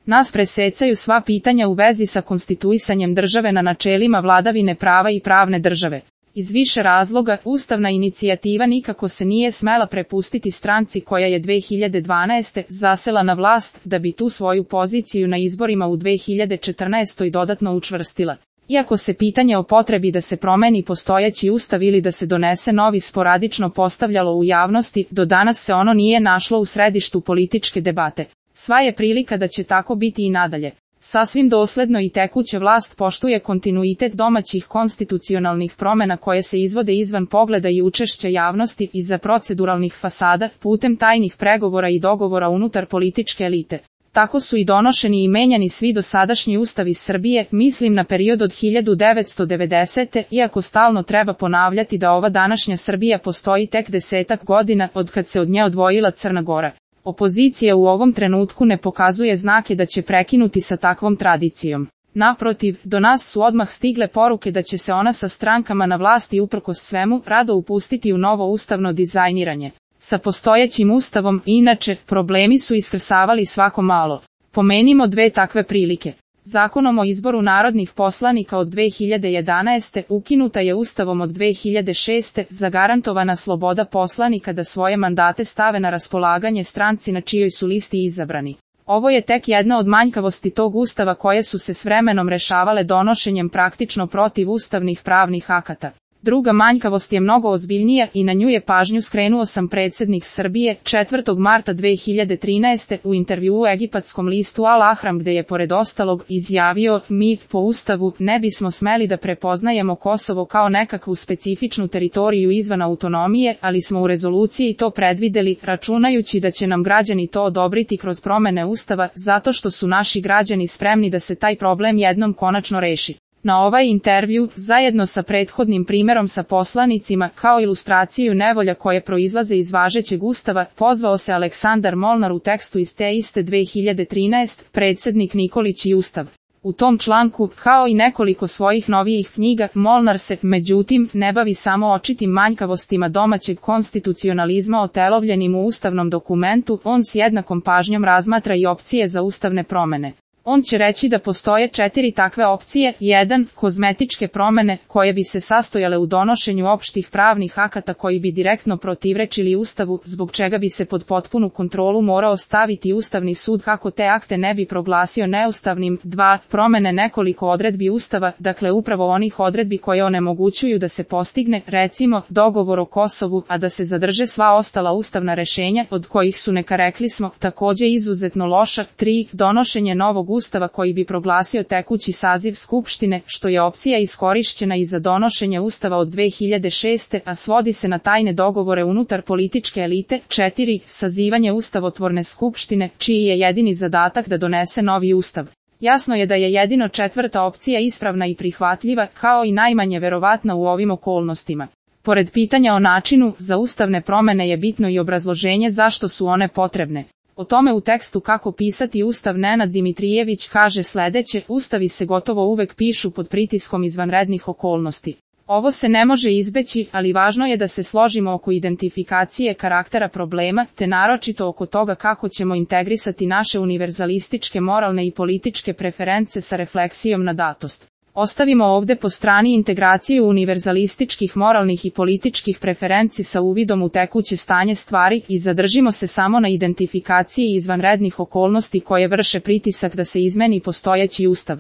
Nas presecaju sva pitanja u vezi sa konstituisanjem države na načelima vladavine prava i pravne države. Iz više razloga, ustavna inicijativa nikako se nije smela prepustiti stranci koja je 2012. zasela na vlast da bi tu svoju poziciju na izborima u 2014. dodatno učvrstila. Iako se pitanje o potrebi da se promeni postojeći ustav ili da se donese novi sporadično postavljalo u javnosti, do danas se ono nije našlo u središtu političke debate. Sva je prilika da će tako biti i nadalje. Sasvim dosledno i tekuća vlast poštuje kontinuitet domaćih konstitucionalnih promjena koje se izvode izvan pogleda i učešća javnosti iza proceduralnih fasada, putem tajnih pregovora i dogovora unutar političke elite. Tako su i donošeni i menjani svi dosadašnji ustavi Srbije, mislim na period od 1990. Iako stalno treba ponavljati da ova današnja Srbija postoji tek 10-ak godina od kad se od nje odvojila Crna Gora. Opozicija u ovom trenutku ne pokazuje znake da će prekinuti sa takvom tradicijom. Naprotiv, do nas su odmah stigle poruke da će se ona sa strankama na vlasti uprkos svemu rado upustiti u novo ustavno dizajniranje. Sa postojećim ustavom, inače, problemi su iskrsavali svako malo. Pomenimo dve takve prilike. Zakonom o izboru narodnih poslanika od 2011. ukinuta je Ustavom od 2006. zagarantovana sloboda poslanika da svoje mandate stave na raspolaganje stranci na čijoj su listi izabrani. Ovo je tek jedna od manjkavosti tog ustava koje su se s vremenom rešavale donošenjem praktično protivustavnih pravnih akata. Druga manjkavost je mnogo ozbiljnija i na nju je pažnju skrenuo sam predsjednik Srbije 4. marta 2013. u intervjuu u egipatskom listu Al Ahram gde je pored ostalog izjavio: mi, po ustavu, ne bismo smeli da prepoznajemo Kosovo kao nekakvu specifičnu teritoriju izvan autonomije, ali smo u rezoluciji to predvideli, računajući da će nam građani to odobriti kroz promene ustava, zato što su naši građani spremni da se taj problem jednom konačno reši. Na ovaj intervju, zajedno sa prethodnim primjerom sa poslanicima, kao ilustraciju nevolja koje proizlaze iz važećeg ustava, pozvao se Aleksandar Molnar u tekstu iz te iste 2013, predsjednik Nikolić i ustav. U tom članku, kao i nekoliko svojih novijih knjiga, Molnar se, međutim, ne bavi samo očitim manjkavostima domaćeg konstitucionalizma otelovljenim u ustavnom dokumentu, on s jednakom pažnjom razmatra i opcije za ustavne promjene. On će reći da postoje 4 takve opcije. 1. Kozmetičke promjene, koje bi se sastojale u donošenju opštih pravnih akata koji bi direktno protivrečili Ustavu, zbog čega bi se pod potpunu kontrolu morao staviti Ustavni sud kako te akte ne bi proglasio neustavnim. 2. Promjene nekoliko odredbi Ustava, dakle upravo onih odredbi koje onemogućuju da se postigne, recimo, dogovor o Kosovu, a da se zadrže sva ostala ustavna rešenja, od kojih su, neka rekli smo, takođe izuzetno loša. 3. Donošenje novog Ustava koji bi proglasio tekući saziv Skupštine, što je opcija iskorišćena i za donošenje Ustava od 2006. a svodi se na tajne dogovore unutar političke elite. 4. Sazivanje ustavotvorne skupštine, čiji je jedini zadatak da donese novi ustav. Jasno je da je jedino 4. opcija ispravna i prihvatljiva, kao i najmanje verovatna u ovim okolnostima. Pored pitanja o načinu za ustavne promjene je bitno i obrazloženje zašto su one potrebne. O tome u tekstu Kako pisati ustav Nenad Dimitrijević kaže sljedeće: ustavi se gotovo uvek pišu pod pritiskom izvanrednih okolnosti. Ovo se ne može izbeći, ali važno je da se složimo oko identifikacije karaktera problema, te naročito oko toga kako ćemo integrisati naše univerzalističke moralne i političke preference sa refleksijom na datost. Ostavimo ovdje po strani integraciju univerzalističkih moralnih i političkih preferenci sa uvidom u tekuće stanje stvari i zadržimo se samo na identifikaciji izvanrednih okolnosti koje vrše pritisak da se izmeni postojeći ustav.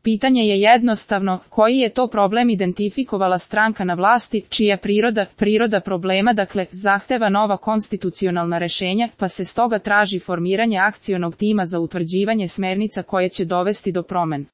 Pitanje je jednostavno, koji je to problem identifikovala stranka na vlasti, čija priroda problema dakle zahteva nova konstitucionalna rešenja, pa se stoga traži formiranje akcionog tima za utvrđivanje smernica koje će dovesti do promjena.